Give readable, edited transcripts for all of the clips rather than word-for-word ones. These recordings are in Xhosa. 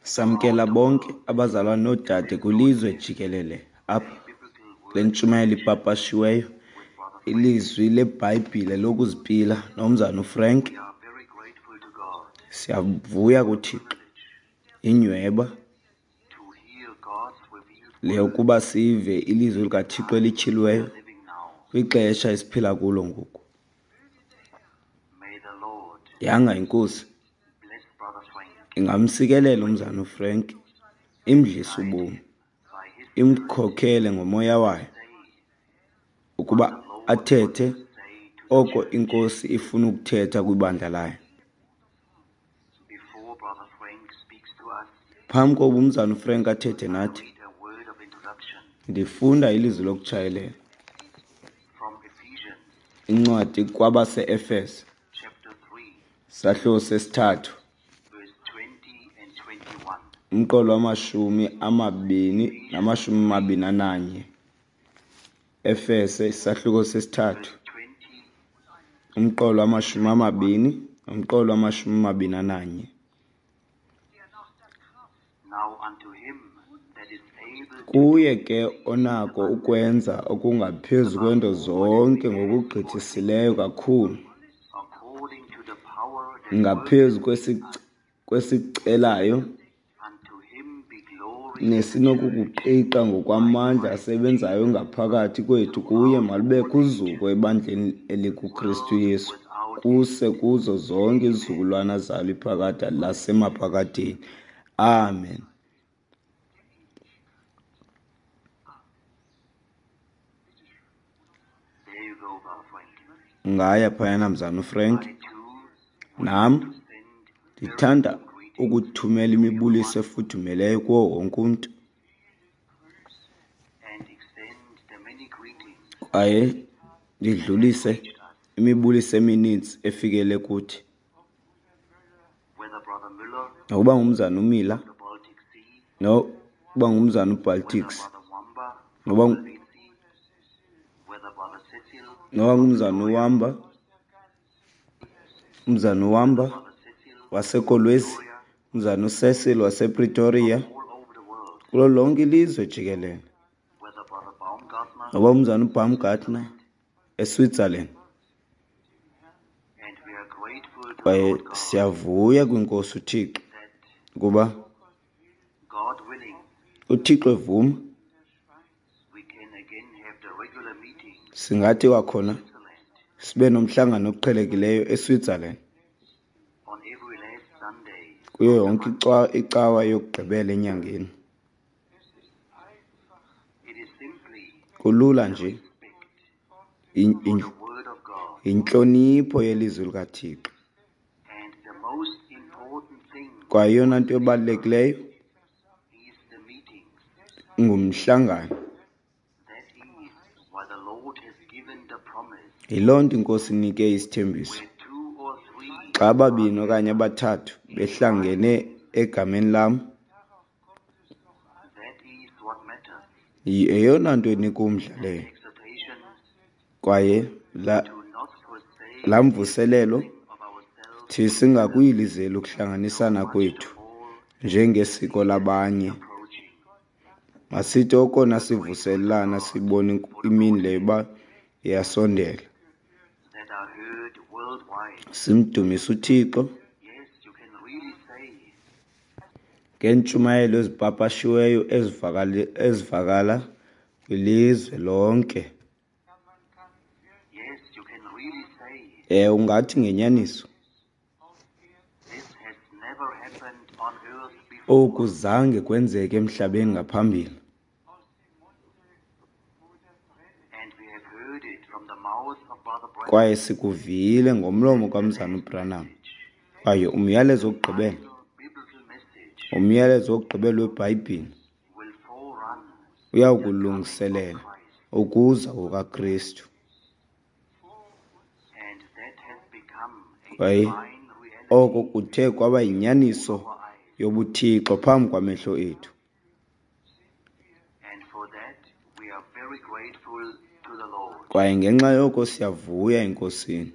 Samkela bonke abazalwane noodade kwilizwe jikelele apha kule ntshumayelo ipapashiweyo, ilizwi leBhayibhile lokuzipila nomzana uFrank. Siyavuya kuThixo inyweba le ukuba sive ilizwi likaThixo elityhiliweyo kwixesha esiphila kulo ngoku. Yanga iNkosi ingamsikelela umzana uFrank, imdlise ubomi, imkhokhele ngomoya wayo ukuba athethe oko iNkosi ifuna ukuthetha kwibandla layo. Phambi kokuba umzana uFrank athethe nathi, ndifunda ilizwi lokutshayelela incwadi kwabase-Efese, sahluko sesithathu, umqolo wamashumi amabini namashumi amabini ananye. Efese, isahluko sesithathu, umqolo wamashumi amabini nomqolo wamashumi amabini ananye. Kuye ke onako ukwenza okungaphezu kwento zonke ngokugqithisileyo kakhulu, ngaphezu kwesicelayo nesinokukuqiqa ngokwamandla asebenzayo ngaphakathi kwethu, kuye malubekho uzuko ebandleni elikuKristu Yesu kuse kuzo zonke izizukulwana zalo iphakade lasemaphakadeni. Amen. Ungaya phayana mzana uFrank. Nam ndithanda ukuthumela imibuliso efudumeleyo kuwo wonke umntu kwaye ndidlulise imibuliso emininzi efikele kuthi. Nokuba ngumzana uMiller, nokuba ngumzana uBaltics, noba noba ngumzana uWamba, umzana uWamba waseKolwezi, umzana uCecil wasePretoria, kulo lonke ilizwe jikelele. Noba umzana uBaumgartner eSwitzerland. Kwaye siyavuya kwiNkosi uThixo ukuba uThixo evuma singathi kwakhona sibe nomhlangano oqhelekileyo eSwitzerland kuyo yonke icawa yokugqibela enyangeni. Kulula nje yintlonipho yelizwi likaThixo. Kwaye eyona nto ebalulekileyo ngumhlangano. Yiloo nto iNkosi inike isithembiso. Xa ababini okanye abathathu behlangene egameni lam, yeyona nto enika umdla leyo. Kwaye laa mvuselelo thi singakuyilizeli ukuhlanganisana kwethu njengesiko labanye. Masithi okona sivuselelana sibone imini leyo uba iyasondela. Simdumise uThixo ngeentshumayelo ezipapashiweyo ezivakala kwilizwe lonke. Ewe, ungathi ngenyaniso oku zange kwenzeke emhlabeni ngaphambili. Kwaye sikuvile ngomlomo kaMzana uBranham. Kwaye umyalezo wokugqibela, umyalezo wokugqibela weBhayibhile uyawukulungiselela ukuza kukaKristu. Kwaye oko kuthe kwaba yinyaniso yobuthixo phambi kwamehlo ethu. Kwaye ngenxa yoko siyavuya eNkosini.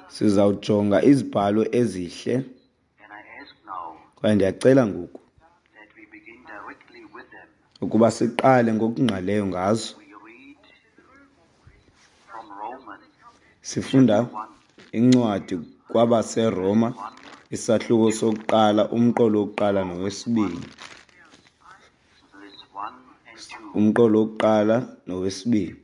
Sizawujonga izibhalo ezihle, kwaye ndiyacela ngoku ukuba siqale ngokungqaleyo ngazo. Sifunda incwadi kwabaseRoma, isahluko sokuqala, umqolo wokuqala nowesibini. Umqolo wokuqala nowesibini.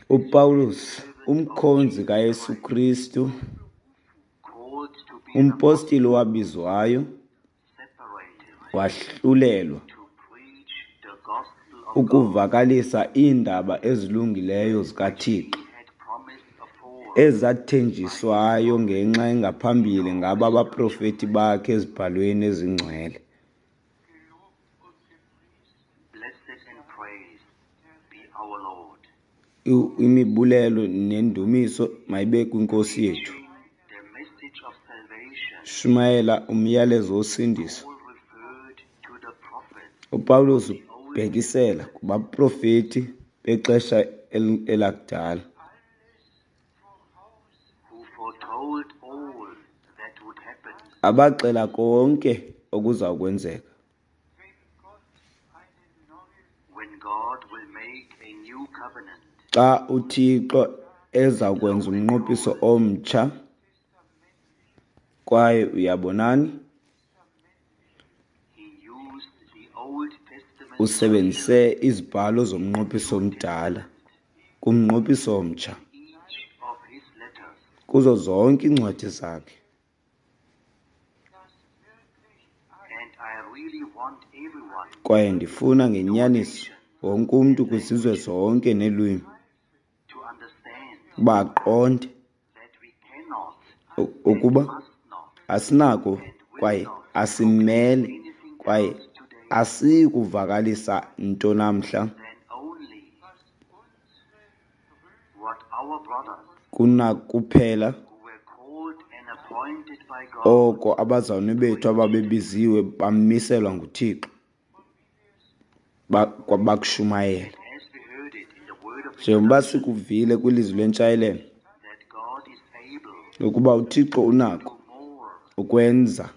UPawulos, umkhonzi kaYesu Kristu, umpostile owabizwayo, wahlulelwa ukuvakalisa iindaba ezilungileyo zikaThixo ezathenjiswayo ngenxa engaphambili ngaba baprofeti bakhe ezibhalweni ezingcwele. Imibulelo nendumiso mayibe kwinkosi yethu. Shumayela umyalezo wosindiso. UPawulos ubhekisela kubaprofeti bexesha elakudala abaxela konke okuza kwenzeka xa uThixo eza kwenza umnqophiso omtsha. Kwaye uyabonani, usebenzise izibhalo zomnqophiso omdala kumnqophiso omtsha kuzo zonke iincwadi zakhe. Kwaye ndifuna ngenyaniso wonke umntu kwizizwe zonke neelwimi uba aqonde ukuba asinako kwaye asimele kwaye asiyi kuvakalisa nto namhla kunakuphela oko abazalwane bethu ababebiziwe bamiselwa nguThixo bakushumayela. Njengoba sikuvile kwilizwi lentshayelelo ukuba uThixo unako ukwenza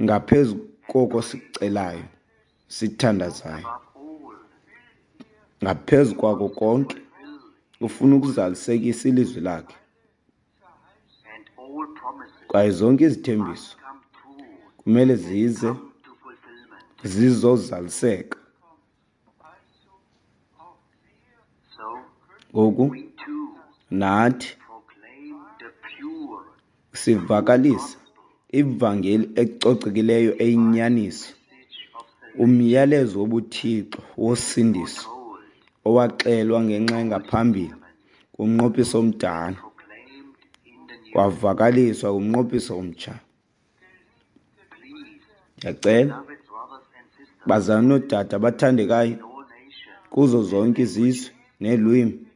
ngaphezu koko sikucelayo sithandazayo. Ngaphezu kwako konke, ufuna ukuzalisekisa ilizwi lakhe. Kwaye zonke izithembiso kumele zize zizozaliseka. Ngoku nathi sivakalisa ivangeli ecocekileyo eyinyaniso, umyalezo wobuthixo wosindiso owaxelwa ngenxa engaphambili kumnqophiso omdala, wavakaliswa kumnqophiso omtsha. Ndiyacela bazalwane noodade abathandekayo kuzo zonke izizwe neelwimi,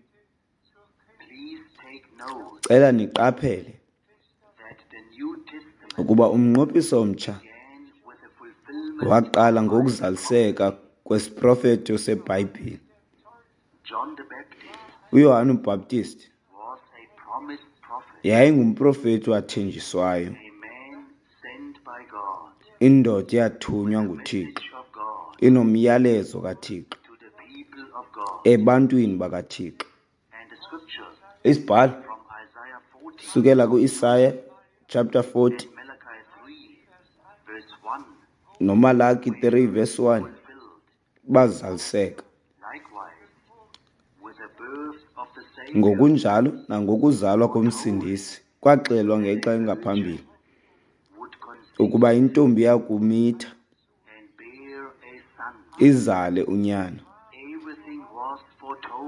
cela niqaphele ukuba umnqophiso omtsha waqala ngokuzaliseka kwesiprofeto seBhayibhile. UYohane uBhaptist yayingumprofeti owathenjiswayo, indoda eyathunywa nguThixo inomyalezo kaThixo ebantwini bakaThixo. Isibhalo sukela kuIsaya chapter 40 noMalaki 3 verse 1 bazaliseka. Ngokunjalo nangokuzalwa koMsindisi kwaxelwa ngexa engaphambili ukuba intombi yakumitha izale unyana.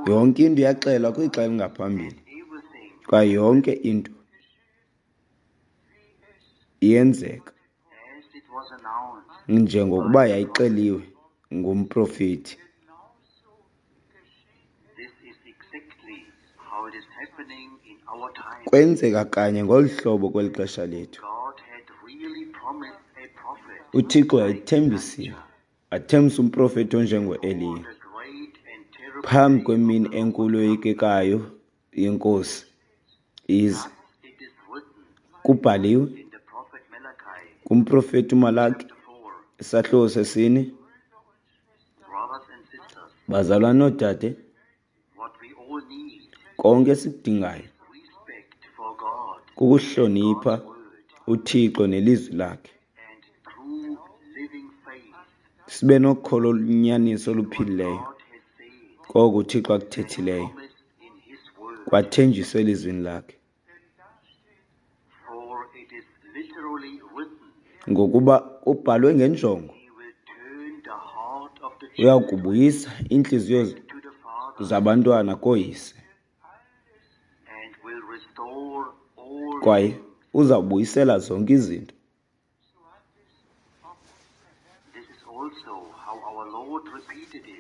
Yonke into yaxelwa kwixa elingaphambili, kwaye yonke into iyenzeka njengokuba yayixeliwe ngumprofeti. Kwenzeka kanye ngolu hlobo kweli xesha lethu. uThixo wayethembisile, wathembisa umprofeti onjengoEliya Phambi kwemini enkulu yoyikekayo yeNkosi ize. Kubhaliwe kumprofeti uMalaki, isahluko sesine. Bazalwane noodade, konke esikudingayo kukuhlonipha uThixo nelizwi lakhe, sibe nokholo olunyaniso oluphilileyo koko uThixo akuthethileyo kwathenjiswa elizwini lakhe. Ngokuba kubhalwe ngenjongo, uya kubuyisa iintliziyo zabantwana kooyise, kwaye uzawubuyisela zonke izinto.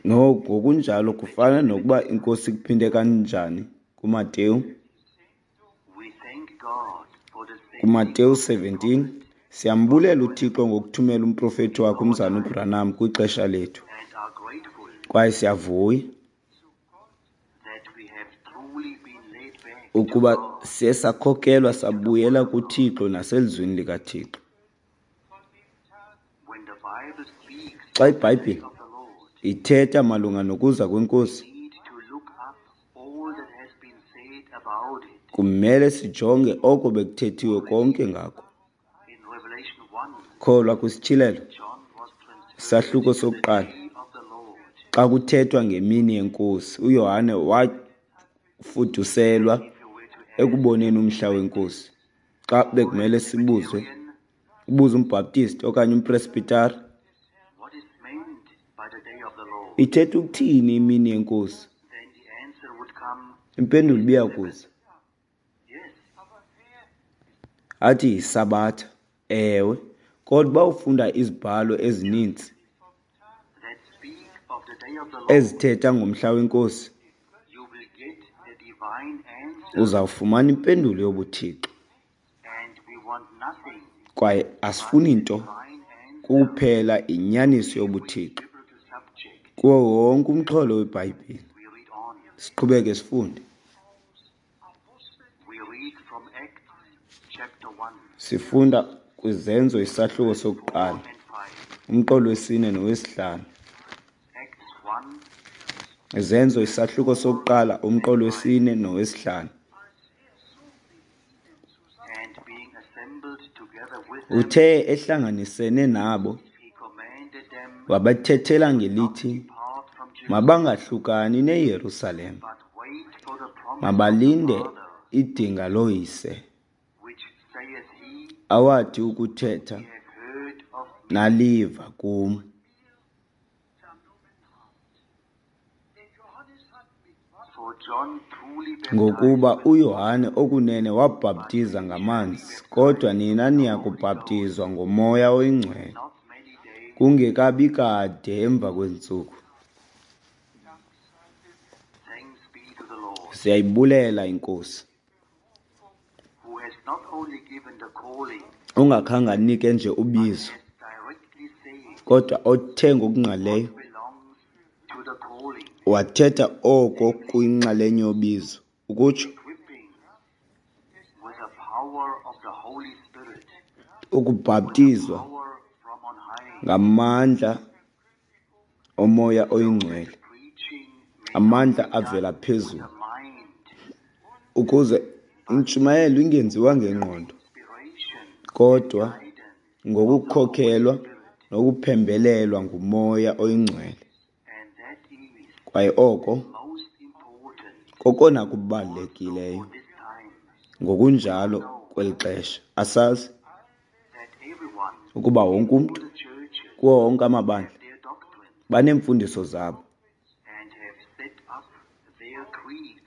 Ngokunjalo kufana nokuba iNkosi ikuphinde kanjani kuMateyu. KuMateyu 17, siyambulela uThixo ngokuthumela umprofeti wakhe uMzalwana uBranham kwixesha lethu, kwaye siyavuya ukuba siye sakhokelwa sabuyela kuThixo naselizwini likaThixo. Xa iBhayibhile ithetha malunga nokuza kweNkosi, kumele sijonge oko bekuthethiwe konke ngako. Kholwa kwisityhilelo, isahluko sokuqala, xa kuthethwa ngemini yeNkosi, uYohane wafuduselwa ekuboneni umhla weNkosi. Xa bekumele sibuze, ubuze umBaptist okanye umPresbyteri, ithetha ukuthini imini yeNkosi? Impendulo ibiya kuza. Athi yiSabatha. Ewe, kodwa uba ufunda izibhalo ezininzi ezithetha ngomhla weNkosi, uzawufumana impendulo yobuThixo. Kwaye asifuni nto kuphela inyaniso yobuThixo kuwo wonke umxholo weBhayibhile. Siqhubeke sifunde. Sifunda kwiZenzo isahluko sokuqala, umqolo wesine nowesihlanu. Izenzo isahluko sokuqala, umqolo wesine nowesihlanu. Uthe ehlanganisene nabo, wabathethela ngelithi mabangahlukani neYerusalem, mabalinde idinga loyise, awathi ukuthetha naliva kum. Ngokuba uYohane okunene wabhaptiza ngamanzi, kodwa nina niya kubhaptizwa ngoMoya oyiNgcwele kungekabi kade emva kweentsuku. Siyayibulela iNkosi ongakhange anike nje ubizo, kodwa othe ngokungqalileyo wathetha oko kuyinxalenye yobizo, ukutsho ukubhaptizwa ngamandla oMoya oyiNgcwele, amandla avela phezulu, ukuze intshumayelo ingenziwa ngengqondo, kodwa ngokukhokhelwa nokuphembelelwa nguMoya oyiNgcwele. Kwaye oko kokona kubalulekileyo ngokunjalo kweli xesha. Asazi ukuba wonke umntu kuwo wonke amabandla baneemfundiso zabo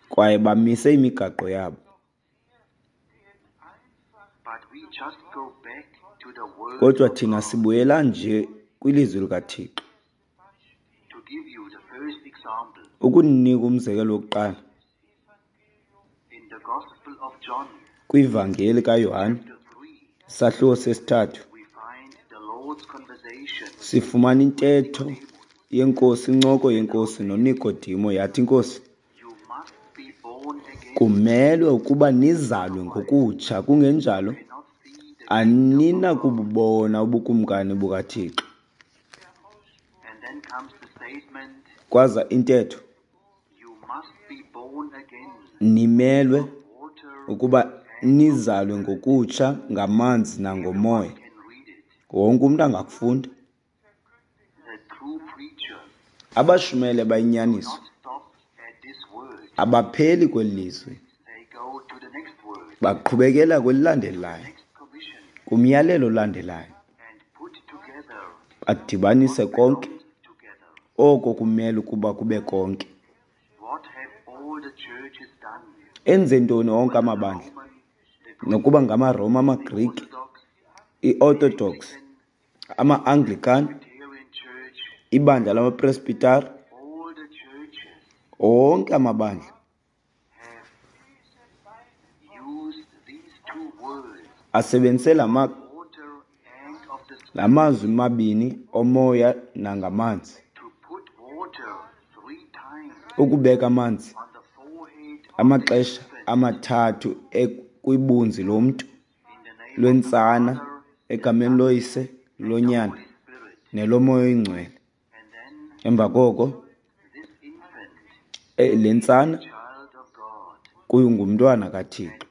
kwaye bamise imigaqo yabo. Kodwa thina sibuyela nje kwilizwi likaThixo. Ukunika umzekelo wokuqala, kwivangeli kaYohane, isahluko sesithathu, sifumana intetho yeNkosi, incoko yeNkosi noNikodimo, yathi iNkosi, kumelwe ukuba nizalwe ngokutsha, kungenjalo aninakububona ubukumkani bukaThixo. Kwaza intetho, nimelwe ukuba nizalwe ngokutsha ngamanzi nangomoya. Wonke umntu angakufunda. Abashumayeli abayinyaniso abapheli kweli lizwi, baqhubekela kwelilandelayo, kumyalelo olandelayo, badibanise konke oko kumele ukuba kube konke. Enze ntoni onke amabandla, nokuba ngamaRoma, amaGrike, iOrthodox, ama-Anglican, ibandla lamaPresbyteri, onke amabandla asebenzise la mazwi mabini omoya nangamanzi, ukubeka amanzi amaxesha amathathu kwibunzi lomntu lwentsana egameni loYise, loNyana neloMoya oyiNgcwele. Emva koko le ntsana kungumntwana kaThixo,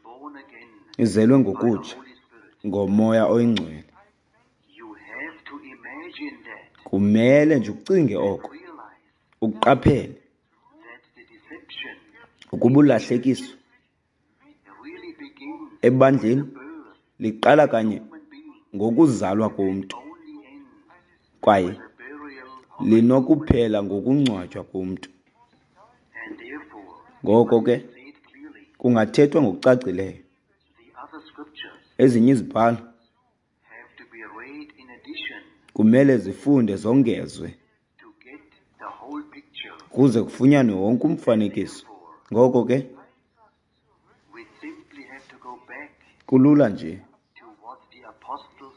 izelwe ngokutsha ngoMoya oyiNgcwele. Kumele nje ucinge oko, uqaphele ukuba ulahlekiso ebandleni liqala kanye ngokuzalwa komntu kwaye linokuphela ngokungcwatywa komntu. Ngoko ke kungathethwa ngokucacileyo, ezinye izibhalo kumele zifunde zongezwe kuze kufunyanwe wonke umfanekiso. Ngoko ke kulula nje,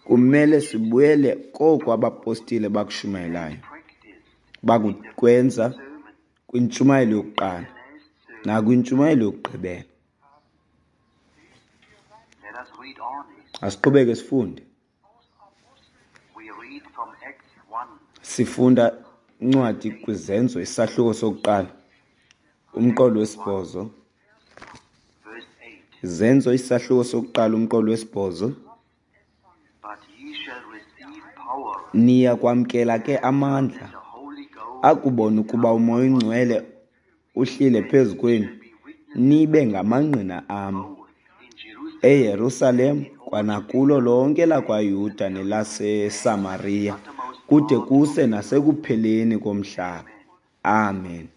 kumele sibuyele koko abapostile bakushumayelayo, bakukwenza kwintshumayelo yokuqala nakwintshumayelo yokugqibela. Asiqhubeke sifunde. Sifunda incwadi kwiZenzo, isahluko sokuqala, umqolo wesibhozo. Zenzo, isahluko sokuqala, umqolo wesibhozo. Niya kwamkela ke amandla, akubona ukuba uMoya oyiNgcwele uhlile phezu kwenu, nibe ngamangqina am eYerusalem kwanakulo lonke lakwaYuda nelaseSamariya, kude kuse nasekupheleni komhlaba. Amen.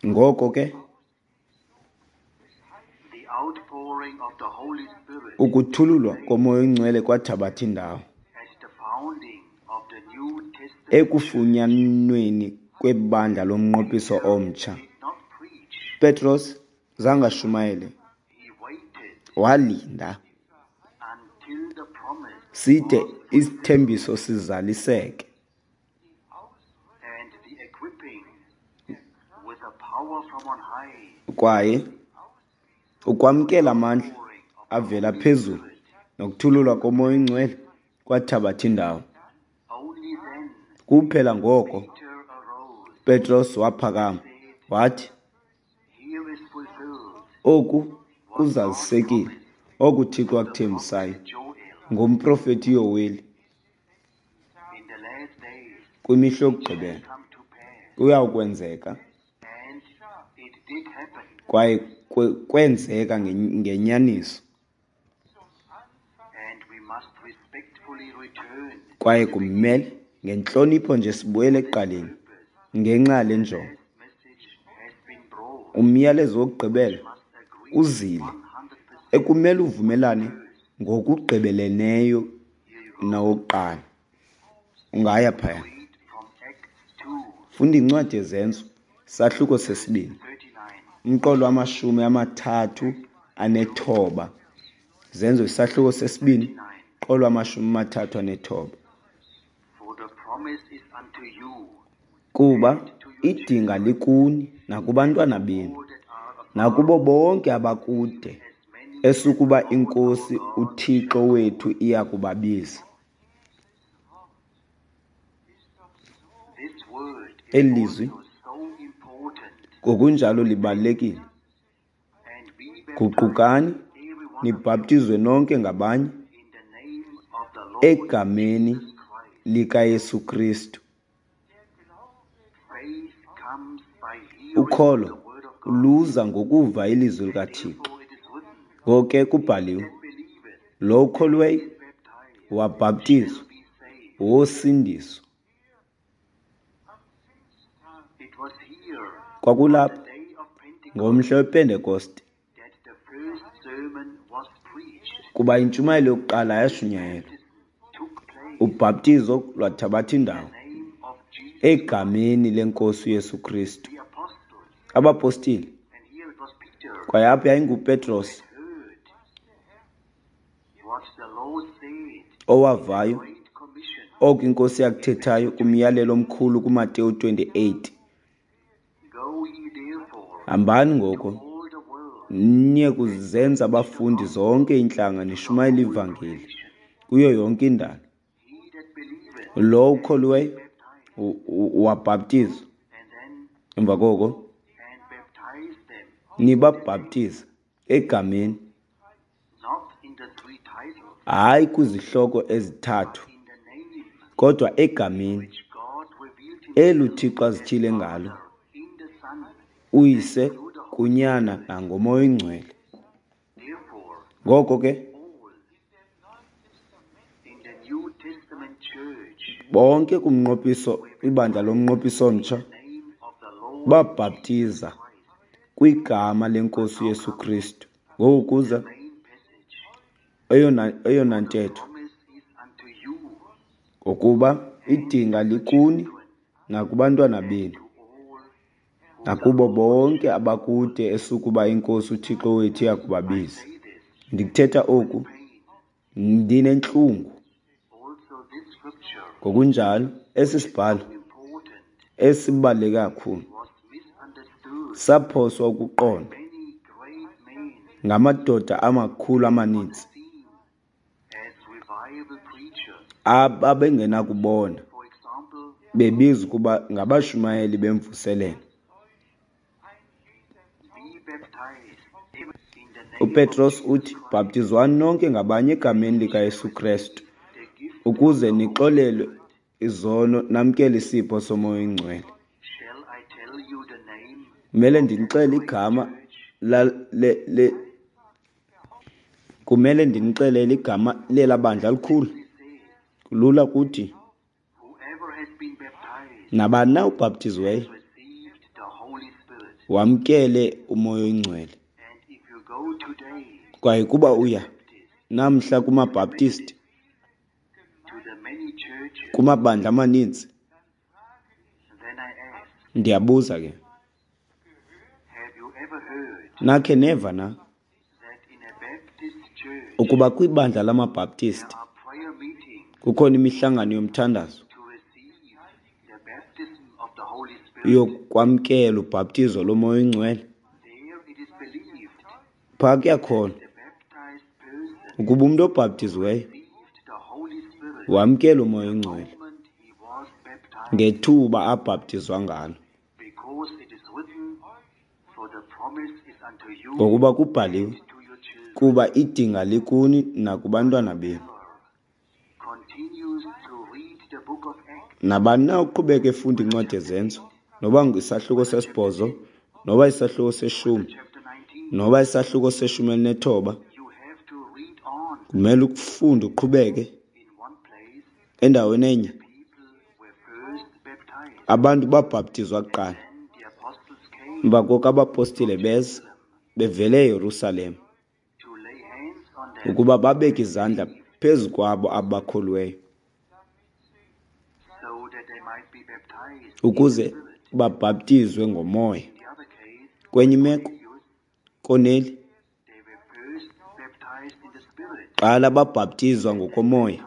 Ngoko ke ukuthululwa koMoya oyiNgcwele kwathabatha indawo ekufunyanweni kwebandla lomnqophiso omtsha. Petros zange ashumayele, walinda side isithembiso sizaliseke. Kwaye ukwamkela amandla avela phezulu nokuthululwa koMoya oyiNgcwele kwathabatha indawo. Kuphela ngoko Petros waphakama wathi, oku kuzalisekile oku Thixo akuthembisayo ngomprofeti Yoweli kwimihla yokugqibela kuyawukwenzeka, kwaye kwenzeka ngenyaniso. Kwaye kumele ngentlonipho nje sibuyele ekuqaleni ngenxa yale njongo. Umyalezo wokugqibela uzile ekumele uvumelane ngokugqibeleleyo nawokuqala. Ungaya phaya. Funda incwadi yeZenzo, sahluko sesibini, umqolo wa-39. Zenzo isahluko sesibini, umqolo wa-39. Kuba idinga likuni nakubantwana benu, nakubo bonke abakude, esukuba iNkosi uThixo wethu iya kubabiza. Eli lizwi ngokunjalo libalulekile. Guqukani, nibhaptizwe nonke ngabanye egameni likaYesu Kristu. Ukholo luza ngokuva ilizwi likaThixo. Ngoko ke kubhaliwe, lo ukholweyo wabhaptizwa wosindiswa. Kwakulapha ngomhla wePentekoste kuba intshumayelo yokuqala yashunyayelwa, ubhaptizo lwathabatha indawo egameni leNkosi uYesu Kristu. Abapostile, kwaye apha yayinguPetros owavayo oko iNkosi yakuthethayo kumyalelo omkhulu kuMateyu 28. Hambani ngoko niye kuzenza abafundi zonke iintlanga nishumayele ivangeli kuyo yonke indalo. Lo ukholiweyo wabhaptizwa, emva koko nibabhaptize egameni, hayi kwizihloko ezithathu, kodwa egameni elu Thixo azityhile ngalo uYise kuNyana nangoMoya oyiNgcwele. Ngoko ke bonke kumnqophiso, ibandla lomnqophiso omtsha, babhaptiza kwigama leNkosi uYesu Kristu. Ngoku kuza eyona ntetho, ngokuba idinga likuni nakubantwana benu, nakubo bonke abakude esukuba iNkosi uThixo wethu iyakubabiza. Ndikuthetha oku ndinentlungu. Ngokunjalo esi sibhalo esibaluleke kakhulu saphoswa ukuqonda ngamadoda amakhulu amaninzi ababengenakubona bebizwa ukuba ngabashumayeli bemvuselelo. UPetros uthi, bhaptizwani nonke ngabanye egameni likaYesu Kristu ukuze nixolelwe izono namkele isipho soMoya oyiNgcwele. Kumele ndinixele igama kumele ndinixelele igama lela bandla likhulu. Kulula kuthi nabani na ubhaptiziweyo wamkele uMoya oyiNgcwele. Kwaye kuba uya namhla kumaBhaptisti, kumabandla amaninzi, ndiyabuza ke, nakhe neva na ukuba kwibandla lamaBhaptisti kukhona imihlangano yomthandazo yokwamkela ubhaptizo loMoya oyiNgcwele? Phaa kuyakhona ukuba umntu obhaptiziweyo wamkela uMoya oyiNgcwele ngethuba abhaptizwa ngalo, ngokuba kubhaliwe, kuba idinga likuni nakubantwana benu. Nabani na uqhubeka efunda incwadi yeZenzo, noba isahluko 8, noba isahluko 10, noba isahluko 19, kumele ukufunde uqhubeke endaweni enye. Abantu babhaptizwa kuqala, emva koko abapostile beza bevele eYerusalem ukuba babeke izandla phezu kwabo abakholiweyo ukuze babhaptizwe ngoMoya. Kwenye imeko, Korneli, qala babhaptizwa ngokomoya,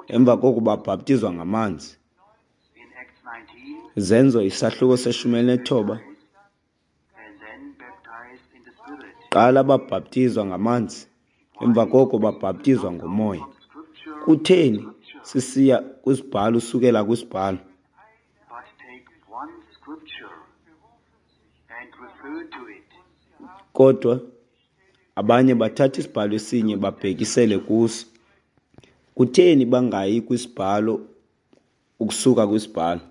emva koko babhaptizwa ngamanzi. Zenzo isahluko se-19. Qala babhaptizwa ngamanzi, emva koko babhaptizwa ngoMoya. Kutheni sisiya kwisibhalo usukela kwisibhalo? Kodwa abanye bathatha isibhalo esinye babhekisele kuso. Kutheni bangayi kwisibhalo ukusuka kwisibhalo?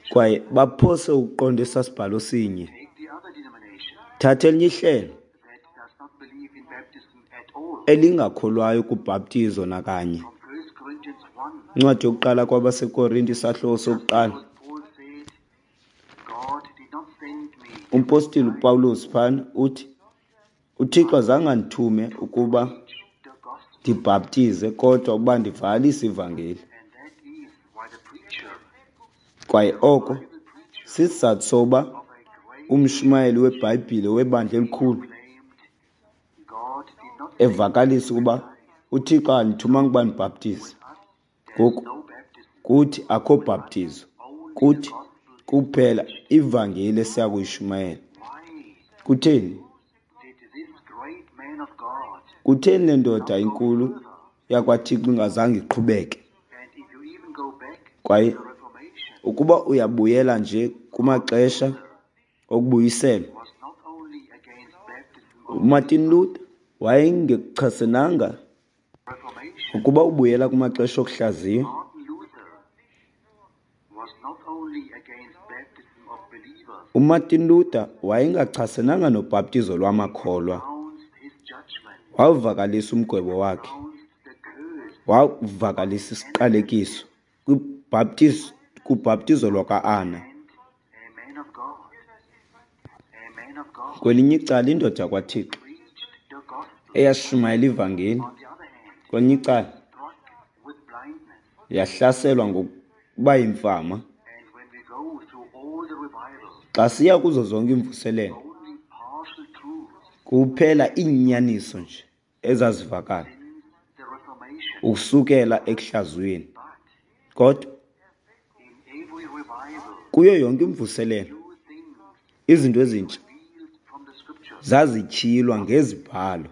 Kwaye baphose ukuqonda esaa sibhalo sinye. Thatha elinye ihlelo elingakholwayo kubhaptizo nakanye. Incwadi yokuqala kwabaseKorinte isahluko sokuqala. Umpostile uPawulos phana uthi, uThixo azange andithume ukuba ndibhaptize kodwa ukuba ndivakalise ivangeli. Kwaye oko sisizathu soba umshumayeli weBhayibhile webandla elikhulu evakalisa ukuba uThixo andithumanga ukuba ndibhaptize. Ngoku kuthi akho bhaptizo, kuthi kuphela ivangeli esiya kuyishumayela. Kutheni? Kutheni le ndoda inkulu yakwaThixo ingazange iqhubeke? Kwaye ukuba uyabuyela nje kumaxesha okubuyiselwa, uMartin Luther wayengekuchasenanga. Ukuba ubuyela kumaxesha okuhlaziywa, uMartin Luther wayengachasenanga nobhaptizo lwamakholwa. Wavakalisa umgwebo wakhe, wavakalisa isiqalekiso kubhaptizo lwakwa-Ana. Kwelinye icala, indoda yakwaThixo eyashumayela ivangeli, kwelinye icala yahlaselwa ngokuba yimfama. Xa siya kuzo zonke iimvuselelo, kuphela iinyaniso nje ezazivakala ukusukela ekuhlaziyweni. Kodwa kuyo yonke imvuselelo, izinto ezintsha zazityhilwa ngezibhalo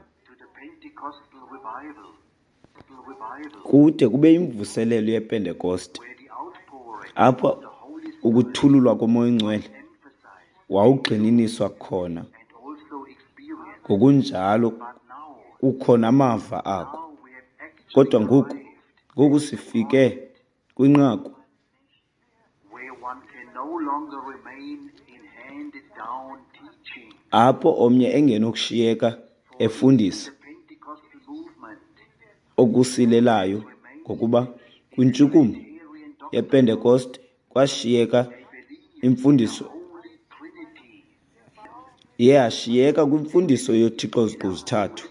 kude kube imvuselelo yePentekoste, apho ukuthululwa koMoya oNgcwele wawugxininiswa khona, ngokunjalo kukho namava ako. Kodwa ngoku sifike kwinqaku apho omnye engenokushiyeka efundisa okusilelayo, ngokuba kwintshukumo yePentekoste kwashiyeka imfundiso, yashiyeka kwimfundiso yoThixo ziqu zithathu.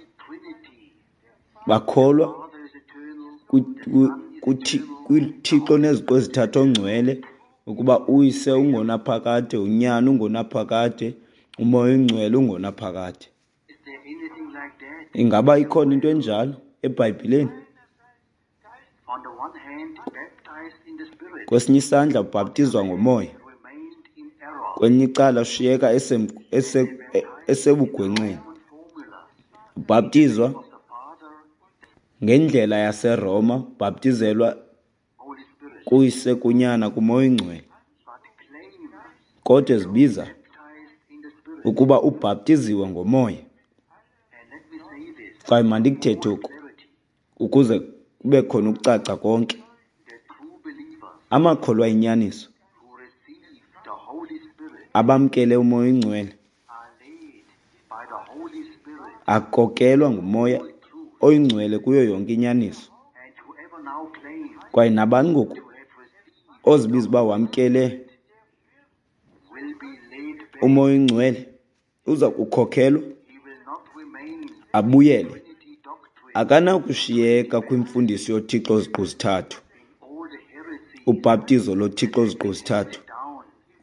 Bakholwa kwithixo neziqu ezithathu ongcwele, ukuba uYise ungonaphakade, uNyana ungonaphakade, uMoya oNgcwele ungonaphakade. Ingaba ikhona into enjalo eBhayibhileni? Kwesinye isandla ubhaptizwa ngoMoya, kwelinye icala ushiyeka esebugwenxeni. Ubhaptizwa ngendlela yaseRoma, ubhaptizelwa kuYise, kuNyana, kuMoya oNgcwele, kodwa ezibiza ukuba ubhaptiziwe ngoMoya. Kwaye mandikuthethe oku ukuze kube khona ukucaca konke. Amakholwa ayinyaniso abamkele uMoya oNgcwele akokelwa nguMoya oyiNgcwele kuyo yonke inyaniso. Kwaye nabani ngoku ozibiza uba wamkele uMoya oyiNgcwele uza kukhokhelwa abuyele. Akanakushiyeka kwimfundiso yoThixo ziqu zithathu, ubhaptizo loThixo ziqu zithathu,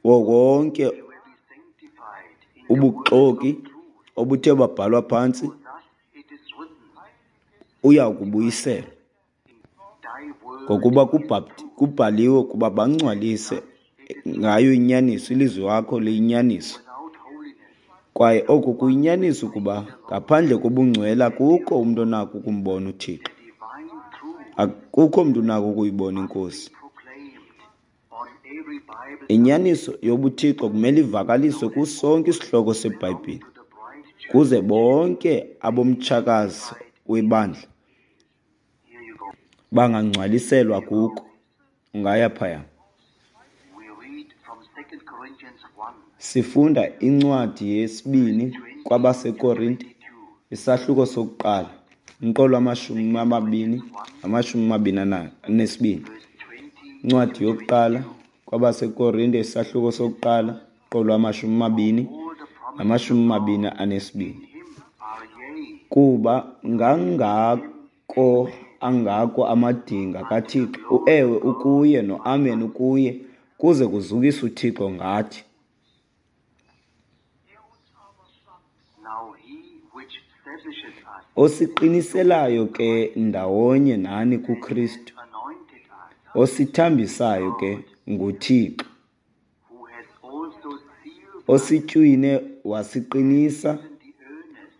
wonke ubuxoki obuthe babhalwa phantsi uya kubuyiselwa. Ngokuba kubhaliwe ukuba bangcwalise ngayo inyaniso, ilizwi wakho liyinyaniso. Kwaye oku kuyinyaniso ukuba ngaphandle kobungcwele akukho umntu onako ukumbona uThixo. Akukho mntu unako ukuyibona iNkosi. Inyaniso yobuThixo kumele ivakaliswe kusonke isihloko seBhayibhile, kuze bonke abomtshakazi webandla bangangcwaliselwa kuko. Ungaya phaya. Sifunda incwadi yesibini kwabaseKorinte, isahluko sokuqala, umqolo wamashumi amabini namashumi amabini anesibini. Incwadi yokuqala kwabaseKorinte, isahluko sokuqala, umqolo wamashumi amabini namashumi amabini anesibini. Kuba ngangako angako amadinga kaThixo, uEwe ukuye noAmen ukuye, kuze kuzukiswe uThixo ngathi. Osiqiniselayo ke ndawonye nani kuKristu, osithambisayo ke nguThixo, ositywine wasiqinisa,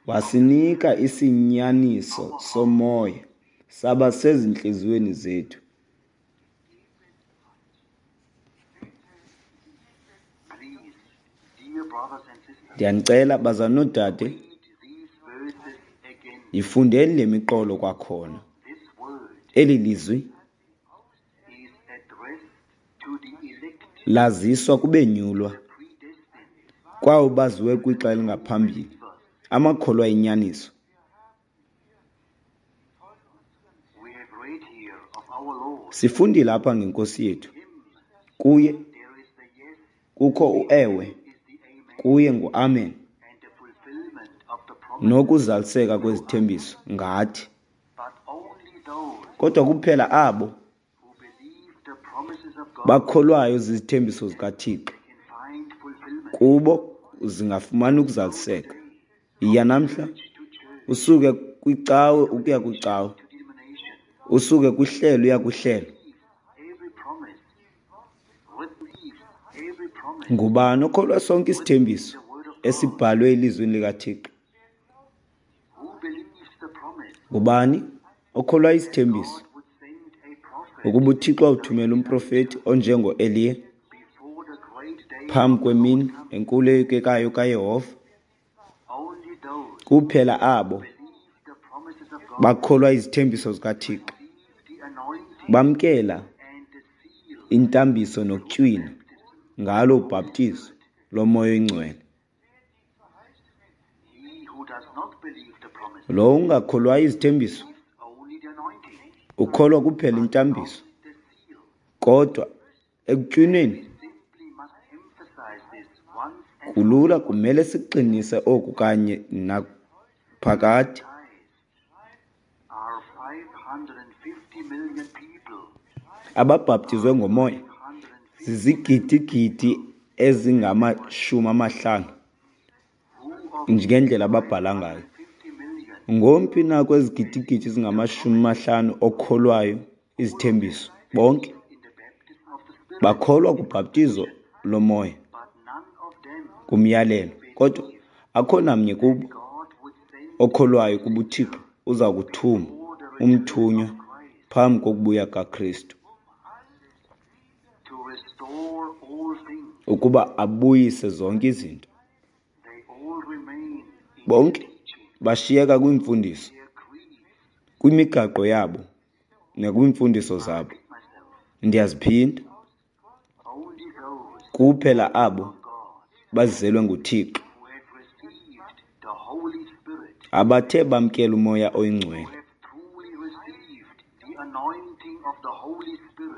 wasinika isinyaniso somoya, saba sezintliziyweni zethu. Ndiyanicela, bazalwana noodade, yifundeni le miqolo kwakhona. Eli lizwi laziswa kubenyulwa, kwabo baziwe kwixa elingaphambili, amakholwa enyaniso. Sifundile apha ngeNkosi yethu. Kuye kukho uEwe, kuye nguAmen, nokuzaliseka kwezithembiso ngathi. Kodwa kuphela abo bakholwayo zizithembiso zikaThixo, kubo zingafumana ukuzaliseka. Yiya namhla, usuke kwicawe ukuya kwicawe, usuke kwihlelo uya kwihlelo. Ngubani okholwa sonke isithembiso esibhalwe elizwini likaThixo? Ngubani okholwa isithembiso ukuba uThixo awuthumela umprofeti onjengoEliya phambi kwemini enkulu eyoyikekayo kaYehova? Kuphela abo bakholwa izithembiso zikaThixo, bamkela intambiso nokutywina ngalo ubhaptizo loMoya oyiNgcwele. Lowo ungakholwayo izithembiso ukholwa kuphela intambiso, kodwa ekutywinweni kulula kumele sikuqinise oku kanye naphakade. Ababhaptizwe ngomoya zizigidigidi ezingama-50 ngendlela ababhala ngayo. Ngomphi na kwezigidigidi zingama-50 okholwayo izithembiso? Bonke bakholwa kubhaptizo lomoya, kumyalelo, kodwa akho namnye kubo okholwayo ukuba uThixo uza kuthuma umthunywa phambi kokubuya kaKristu ukuba abuyise zonke izinto. Bonke bashiyeka kwiimfundiso, kwimigaqo yabo nakwiimfundiso zabo. Ndiyaziphinda, kuphela abo bazelwe nguThixo, abathe bamkela uMoya oyiNgcwele,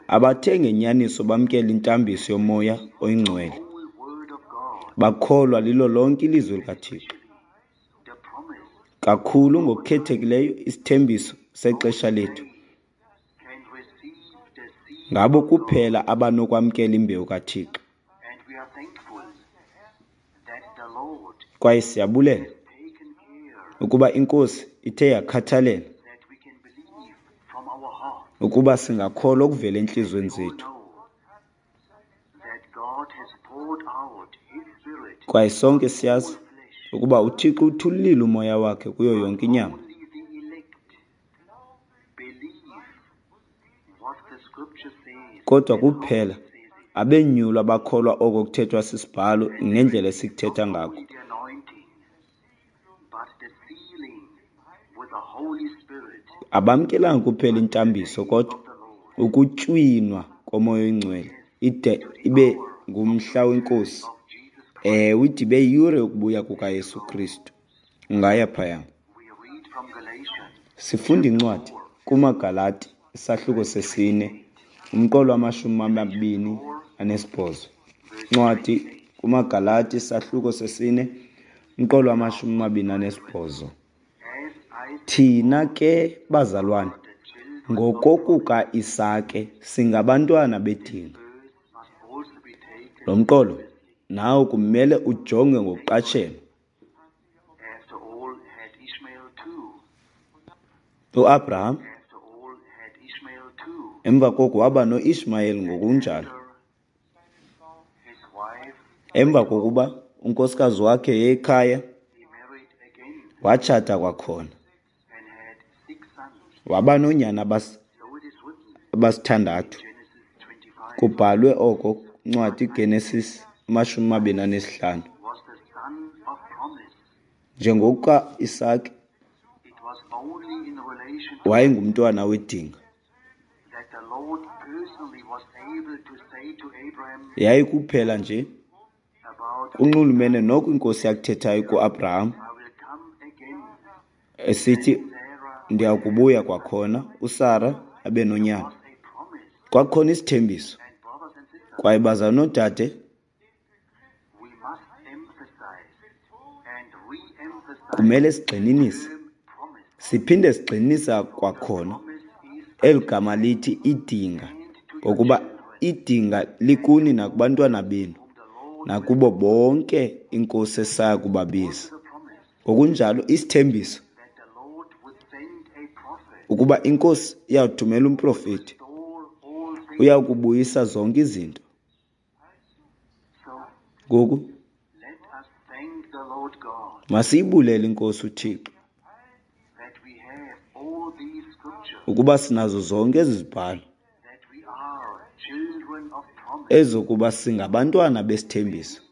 abathe ngenyaniso bamkela intambiso yoMoya oyiNgcwele, bakholwa lilo lonke ilizwi likaThixo, kakhulu ngokukhethekileyo isithembiso sexesha lethu. Ngabo kuphela abanokwamkela imbewu kaThixo. Kwaye siyabulela ukuba iNkosi ithe yakhathalela Ukuba singakholwa okuvela entliziyweni zethu. Kwaye sonke siyazi ukuba uThixo uthululile umoya wakhe kuyo yonke inyama. Kodwa kuphela abenyulwa abakholwa oko kuthethwa sisibhalo nendlela esikuthetha ngako. Abamkelanga kuphela intambiso kodwa ukutywinwa komoya oyingcwele ide ibe ngumhla wenkosi. Ewe, ide ibe yiyure yokubuya kukaYesu Kristu. Ungaya phaya. Sifunda incwadi kumaGalati isahluko sesine umqolo wama-28. Incwadi kumaGalati isahluko sesine umqolo wama-28. Thina ke bazalwane ngokokuka-Isake singabantwana bedinga. Lo mqolo nawo kumele ujonge ngokuqatshelwa. UAbraham emva koko waba noIshmayeli ngokunjalo. Emva kokuba unkosikazi wakhe ekhaya watshata kwakhona. Waba noonyana abasithandathu. Kubhalwe oko ncwadi Genesis 25. Njengokuka Isake wayengumntwana wedinga. Yayikuphela nje kunxulumene noko inkosi yakuthethayo kuAbraham esithi ndiya kubuya kwakhona uSara abe nonyana. Kwakukhona isithembiso. Kwaye bazalwane noodade, kumele sigxininise, siphinde sigxininisa kwakhona eli gama lithi idinga, ngokuba idinga likuni nakubantwana benu nakubo bonke inkosi esaya kubabiza. Ngokunjalo isithembiso ukuba inkosi iyawuthumela umprofeti, uyakubuyisa zonke izinto. Ngoku masiyibulele inkosi uThixo ukuba sinazo zonke ezi zibhalo ezokuba singabantwana besithembiso,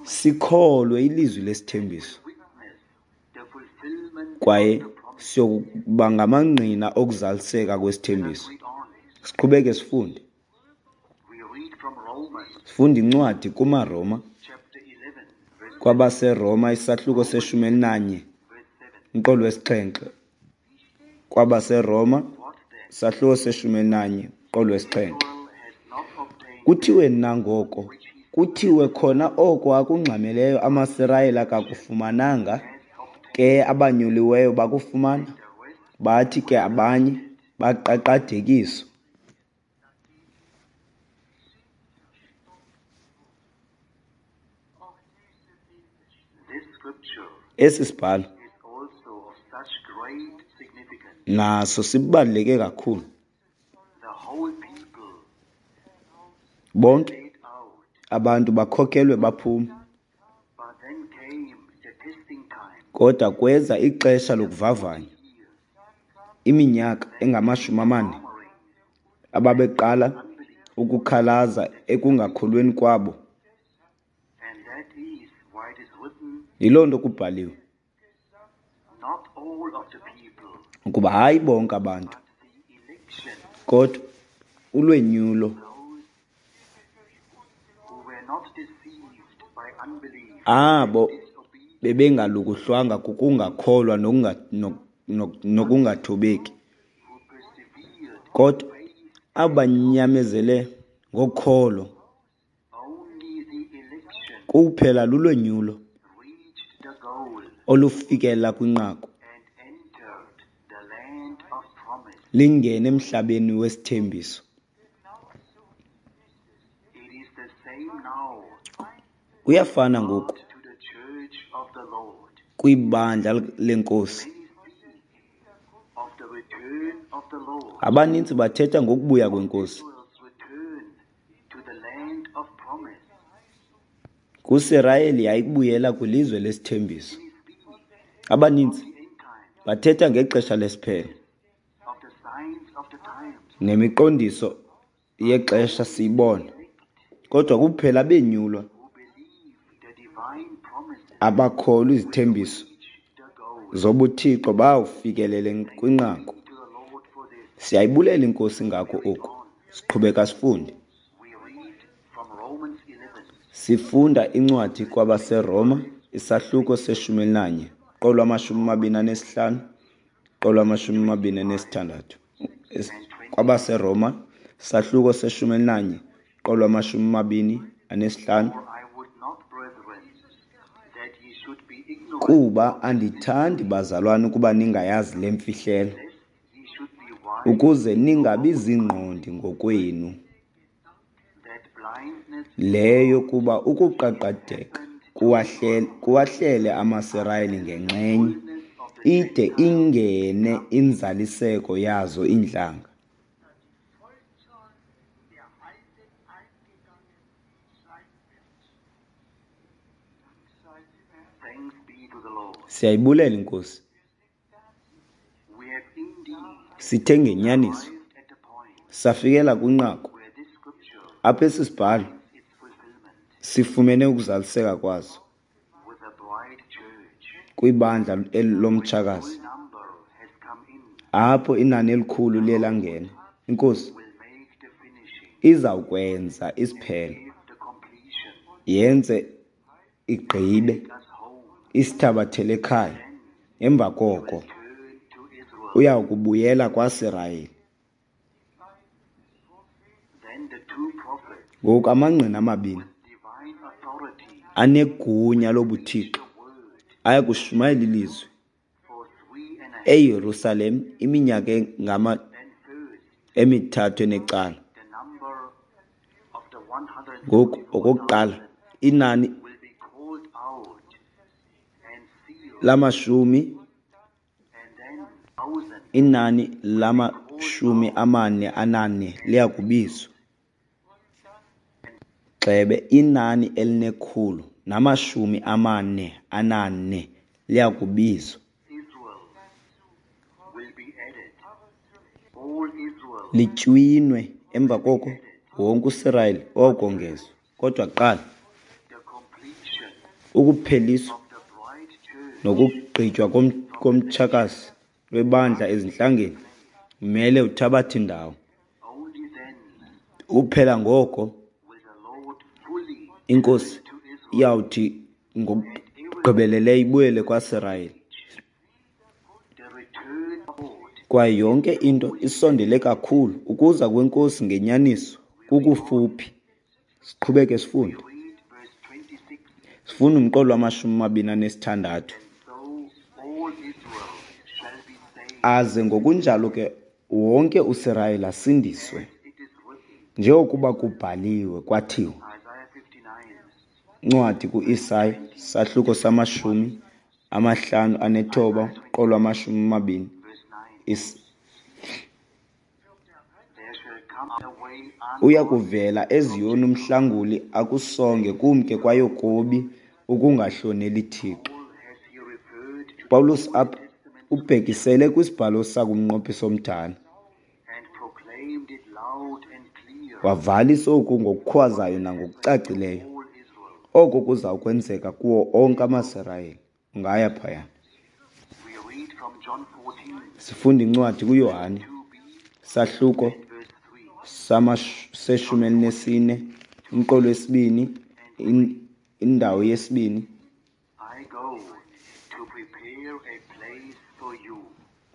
sikholwe ilizwi lesithembiso kwaye siyokuba ngamangqina okuzaliseka kwesithembiso. Siqhubeke sifunde. Sifunda incwadi kumaRoma, kwabaseRoma isahluko se-11 umqolo wesi-7. KwabaseRoma isahluko se-11 umqolo wesi-7. Kuthiwe nangoko, kuthiwe khona oko akungxameleyo amaSirayeli akakufumananga, ke abanyuliweyo bakufumana, bathi ke abanye baqaqadekiswa. Esi sibhalo naso sibaluleke kakhulu. Bonke abantu bakhokelwe baphuma. Kodwa kweza ixesha lokuvavanya, iminyaka engama-40 ababeqala ukukhalaza ekungakholweni kwabo. Yiloo nto kubhaliwe ukuba hayi bonke abantu, kodwa ulwenyulo abo bebengalukuhlwanga kukungakholwa nokungathobeki, kodwa abanyamezele ngokholo kuphela lulwenyulo olufikela kwinqaku lingene emhlabeni wesithembiso. Kuyafana ngoku kwibandla lenkosi. Abaninzi bathetha ngokubuya kweNkosi. KuSirayeli yayikubuyela kwilizwe lesithembiso. Abaninzi bathetha ngexesha lesiphelo nemiqondiso yexesha siyibona, kodwa kuphela abenyulwa abakholwa izithembiso zobuthixo bayawufikelela kwinqaku. Siyayibulela iNkosi ngako oku. Siqhubeka sifunde. Sifunda incwadi kwabaseRoma, isahluko se-11, qolo 25, qolo 26. KwabaseRoma, isahluko se-11, qolo 25. Kuba andithandi, bazalwane, ukuba ningayazi le mfihlelo, ukuze ningabi ziingqondi ngokwenu, leyo kuba ukuqaqadeka kuwahlele amaSirayeli ngenxenye, ide ingene inzaliseko yazo iintlanga. Siyayibulela iNkosi. Sithe ngenyaniso safikela kwinqaku apho esi sibhalo sifumene ukuzaliseka kwaso kwibandla lomtshakazi, apho inani elikhulu liye langena. INkosi izawukwenza isiphelo, yenze igqibe, isithabathele ekhaya. Emva koko uya kubuyela kwaSirayeli. Ngoku amangqina amabini anegunya lobuthixo aya kushumayela ilizwi eYerusalem iminyaka engama emithathu enecala. Ngoku okokuqala inani lamashumi inani lama-44 liya kubizwa. Gxebe, inani eli-144 liya kubizwa. Litywinwe emva koko wonke uSirayeli wawukongezwa. Kodwa kuqala ukupheliswa nokugqitywa komtshakazi webandla ezintlangeni umele uthabathe indawo. Kuphela ngoko iNkosi iyawuthi ngokugqibeleleyo ibuyele kwaSirayeli. Kwaye yonke into isondele kakhulu ukuza kweNkosi ngenyaniso kukufuphi. Siqhubeke sifunde. Sifunda umqolo wama-26. Aze ngokunjalo ke wonke uSirayeli asindiswe, njengokuba kubhaliwe kwathiwa, incwadi kuIsaya, sahluko sama-59, qolo 20. Uya kuvela eZiyoni umhlanguli akusonge kumke kwaYakobi ukungahloneli Thixo. Paulus apha ubhekisele kwisibhalo sakumnqophiso omdala. Wavalisa oku ngokukhwazayo nangokucacileyo. Oko kuza kwenzeka kuwo onke amaSirayeli. Ungaya phaya. Sifunda incwadi kuYohane, sahluko se-14, umqolo wesibini, indawo yesibini.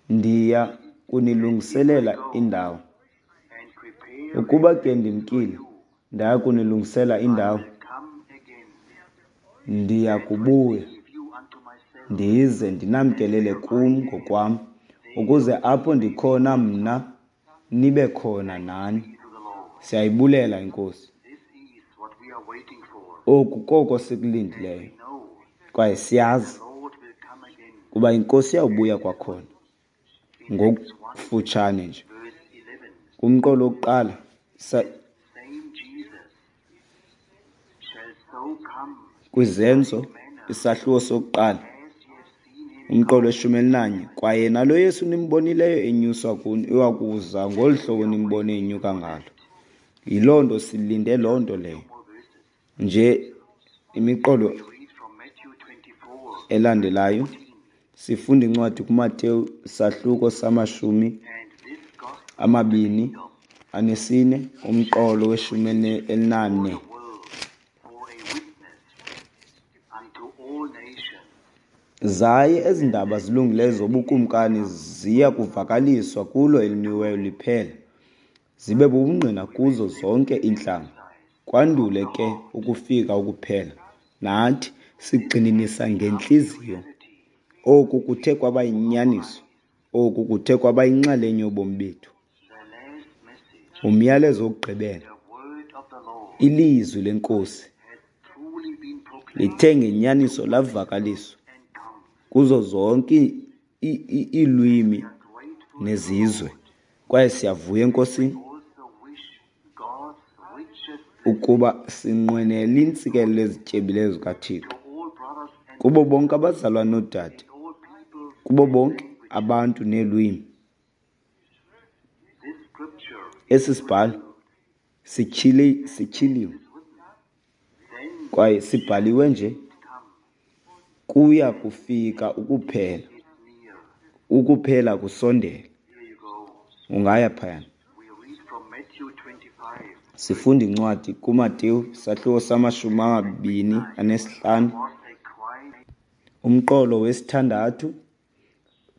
Ndiya kunilungiselela indawo. Ukuba ke ndimkile, ndaya kunilungisela indawo, ndiya kubuya ndize ndinamkelele kum ngokwam, ukuze apho ndikhona mna nibe khona nani. Siyayibulela iNkosi. Oku koko sikulindileyo, kwaye siyazi kuba iNkosi iyawubuya kwakhona. Ngokufutshane nje kumqolo wokuqala kwiZenzo isahluko sokuqala umqolo weshumi elinanye, kwaye nalo Yesu nimbonileyo enyuswa kuni uya kuza ngolu hlobo nimbone enyuka ngalo. Yiloo nto silinde loo nto leyo. Nje imiqolo elandelayo sifunda incwadi kuMateyu isahluko sama-24 umqolo weshumi elinane. Zaye ezi ndaba zilungileyo zobukumkani ziya kuvakaliswa kulo elimiweyo liphela, zibe bubungqina kuzo zonke iintlanga, kwandule ke ukufika ukuphela. Nathi sigxininisa ngentliziyo. Oku kuthe kwaba yinyaniso. Oku kuthe kwaba yinxalenye yobomi bethu. Umyalezo wokugqibela, ilizwi leNkosi, lithe ngenyaniso lavakaliswa kuzo zonke iilwimi nezizwe. Kwaye siyavuya eNkosini ukuba sinqwenela iintsikelelo ezityebileyo zikaThixo kubo bonke abazalwane noodade, kubo bonke abantu neelwimi. Esi sibhalo sityhiliwe kwaye sibhaliwe nje, kuya kufika ukuphela, ukuphela kusondele. Ungaya phayana. Sifunda incwadi kuMateyu isahluko sama-25 umqolo wesithandathu.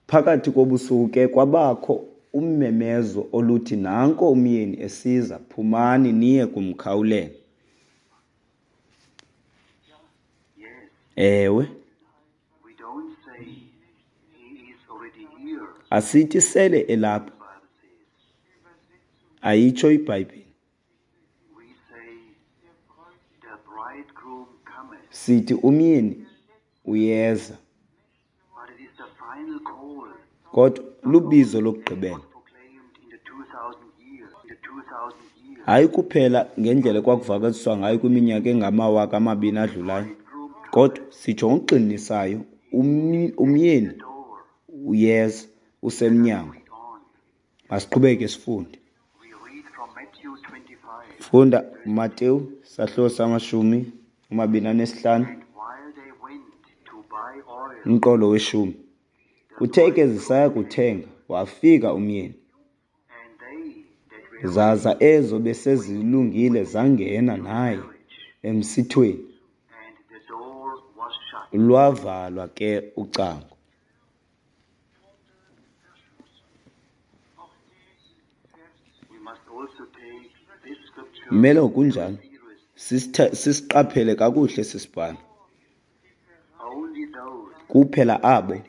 Phakathi kobusuku ke kwabakho ummemezo oluthi, nanko umyeni esiza, phumani niye kumkhawulela. Ewe. Asithi sele elapha. Ayitsho iBhayibhile. Sithi umyeni uyeza. Kodwa lubizo lokugqibela. Hayi kuphela ngendlela ekwakuvakaliswa ngayo kwiminyaka engama-2000 adlulayo, kodwa sitsho ngokugxininisayo, umyeni uyeza, usemnyango. Masiqhubeke sifunde. Funda Mateyu sahluko sama-25 umqolo weshumi. Kuthe ke zisaya kuthenga, wafika umyeni. Zaza ezo besezilungile zangena naye emsithweni. Lwavalwa ke ucango. Kumele ngokunjalo sisiqaphele kakuhle esi sibhalo. Kuphela abo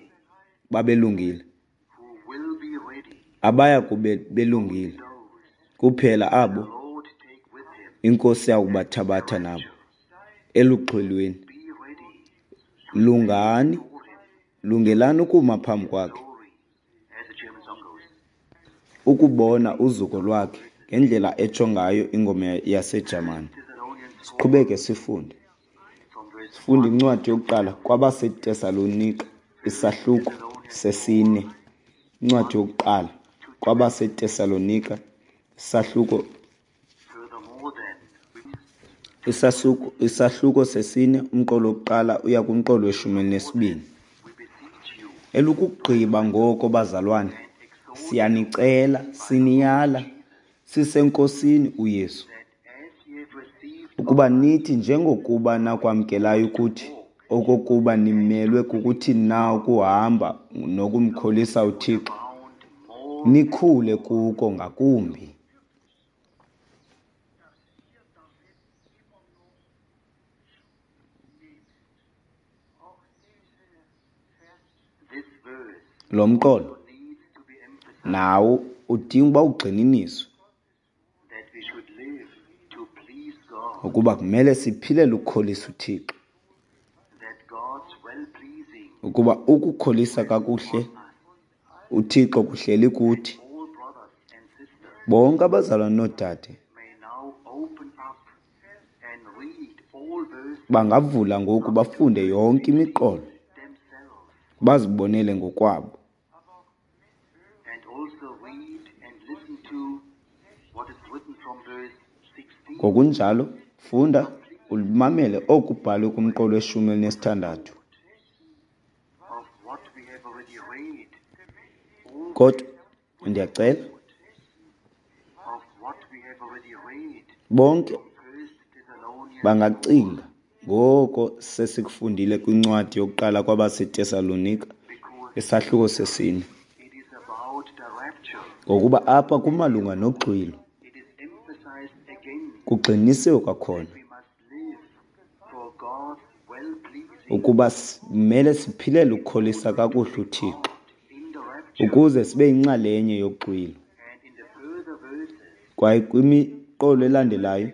babelungile, abaya kube belungile, kuphela abo iNkosi yakubathabatha nabo eluxhwelweni. Lungani, lungelani ukuma phambi kwakhe, ukubona uzuko lwakhe ngendlela etsho ngayo ingoma yaseJamani. Siqhubeke sifunde. Sifunda incwadi yokuqala kwabaseTesalonika isahluko sesine. Incwadi yokuqala kwabaseTesalonika isahluko sesine, umqolo wokuqala uya kumqolo weshumi elinesibini. Elukugqiba ngoko, bazalwane, siyanicela, siniyala, siseNkosini uYesu, ukuba nithi njengokuba nakwamkelayo ukuthi, okokuba nimelwe kukuthini na ukuhamba nokumkholisa uThixo, nikhule kuko ngakumbi. Lo mqolo nawo udinga uba ugxininiswe ukuba kumele siphilele ukukholisa uThixo, ukuba ukukholisa kakuhle uThixo kuhleli kuthi. Bonke abazalwane noodade bangavula ngoku bafunde yonke imiqolo, bazibonele ngokwabo. Ngokunjalo, funda umamele oku kubhalwe kumqolo weshumi elinesithandathu. Kodwa ndiyacela bonke bangacinga ngoko sesikufundile kwincwadi yokuqala kwabaseTesalonika, isahluko sesine, ngokuba apha kumalunga noxwilo. Kugxinisiwe kwakhona ukuba simele siphilele ukukholisa kakuhle uThixo ukuze sibe yinxalenye yoxwilo. Kwaye kwimiqolo elandelayo,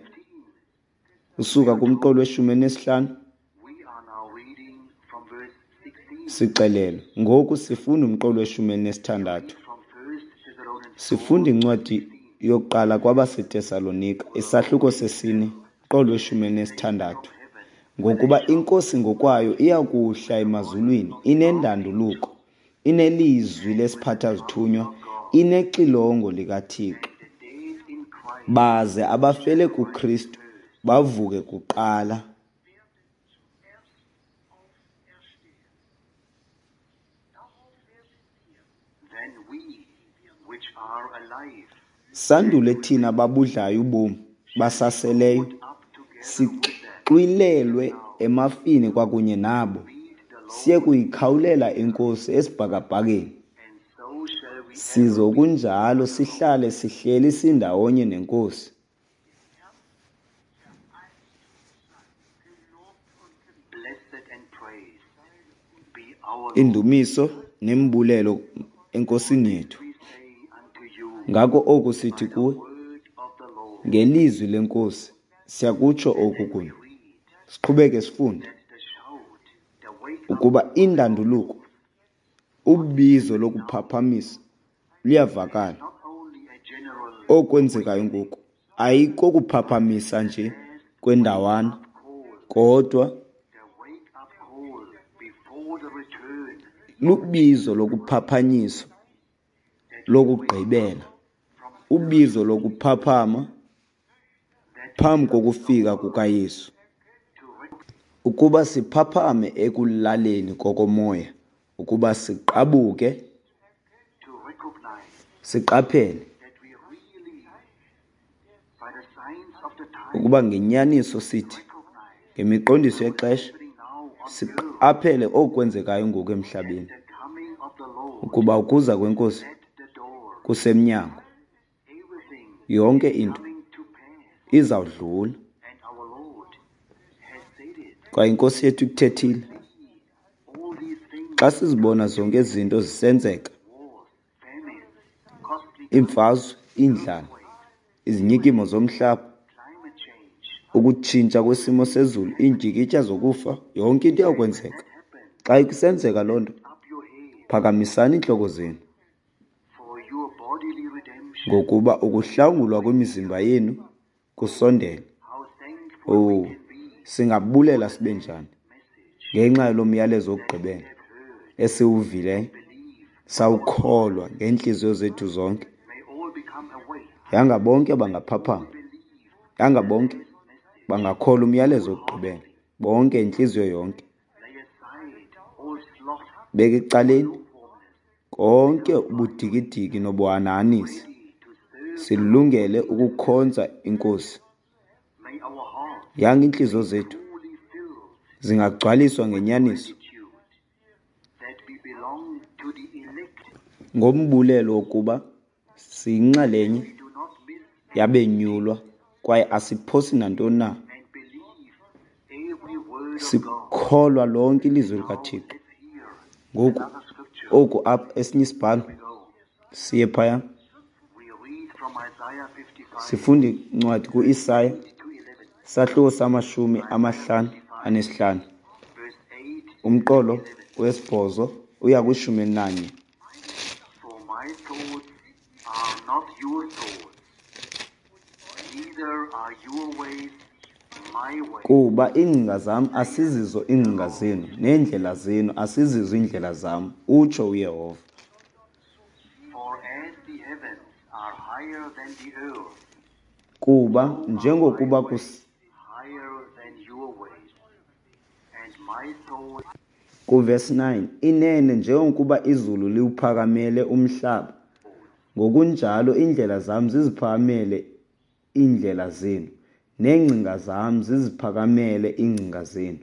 usuka kumqolo weshumi elinesihlanu, sixelelwe. Ngoku sifunda umqolo weshumi elinesithandathu. Sifunda incwadi yokuqala kwabaseTesalonika, isahluko sesine, umqolo weshumi elinesithandathu. Ngokuba iNkosi ngokwayo iya kuhla emazulwini inendanduluko, inelizwi lesiphatha-zithunywa, inexilongo likaThixo, baze abafele kuKristu bavuke kuqala. Sandule thina babudlayo ubomi basaseleyo, sixwilelwe emafini kwakunye nabo, siye kuyikhawulela iNkosi esibhakabhakeni. Sizokunjalo sihlale sihleli sindawonye neNkosi. Indumiso nembulelo eNkosini yethu. Ngako oku sithi kuwe, ngelizwi leNkosi siyakutsho oku kuni. Siqhubeke sifunde ukuba indanduluko, ubizo lokuphaphamisa luyavakala. Okwenzekayo ngoku ayikokuphaphamisa nje kwendawana, kodwa lubizo lokuphaphanyiswa lokugqibela, ubizo lokuphaphama phambi kokufika kukaYesu. Ukuba siphaphame ekulaleni kokomoya, ukuba siqabuke, siqaphele ukuba ngenyaniso sithi ngemiqondiso yexesha siqaphele okwenzekayo ngoku emhlabeni, ukuba ukuza kweNkosi kusemnyango. Yonke into izawudlula, kwaye iNkosi yethu ikuthethile. Xa sizibona zonke ezi zinto zisenzeka, iimfazwe, iindlala, izinyikimo zomhlaba, ukutshintsha kwesimo sezulu, iindyikitya zokufa, yonke into iyawukwenzeka. Xa kusenzeka loo nto, phakamisani iintloko zenu, ngokuba ukuhlangulwa kwemizimba yenu kusondele. Oh, singabulela sibe njani ngenxa yalo myalezo wokugqibela esiwuvileyo, sawukholwa ngeentliziyo zethu zonke. Yanga bonke bangaphaphama, yanga bonke bangakholwa umyalezo wokugqibela, bonke intliziyo yonke. Beka ecaleni konke ubudikidiki nobuhanahanisi, silungele ukukhonza iNkosi. Yanga iintliziyo zethu zingagcwaliswa ngenyaniso, ngombulelo wokuba siyinxalenye yabenyulwa kwaye asiphosi nantoni na. Sikholwa lonke ilizwi likaThixo. Ngoku oku apha esinye isibhalo, siye phaya. Sifunda incwadi kuIsaya, sahluko sama-55, umqolo wesibhozo uya kwishumi elinanye. thoughts are not your thoughts, neither are your ways my ways. Kuba iingcinga zam asizizo iingcinga zenu, neendlela zenu asizizo iindlela zam, utsho uYehova. For as the heavens are higher than the earth, Kuba so are my njengokuba ways higher than your ways, and my thoughts Kuvesi 9, inene njengokuba izulu liwuphakamele umhlaba, ngokunjalo iindlela zam ziziphakamele iindlela zenu, neengcinga zam ziziphakamele iingcinga zenu.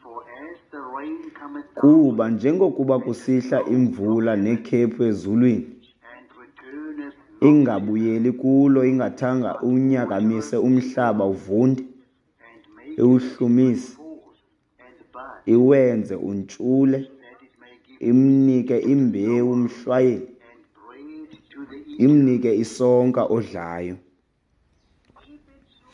For as the rain cometh down Kuba njengokuba and the kusihla snow from imvula heaven, nekhephu ezulwini, and returneth not thither, ingabuyeli kulo ingathanga but unyakamise watereth the umhlaba earth, uvunde, and maketh it bring iwuhlumise, forth and bud, iwenze untshule, that it may give imnike seed to the imbewu sower umhlwayeli, and bread to the eater. imnike isonka odlayo.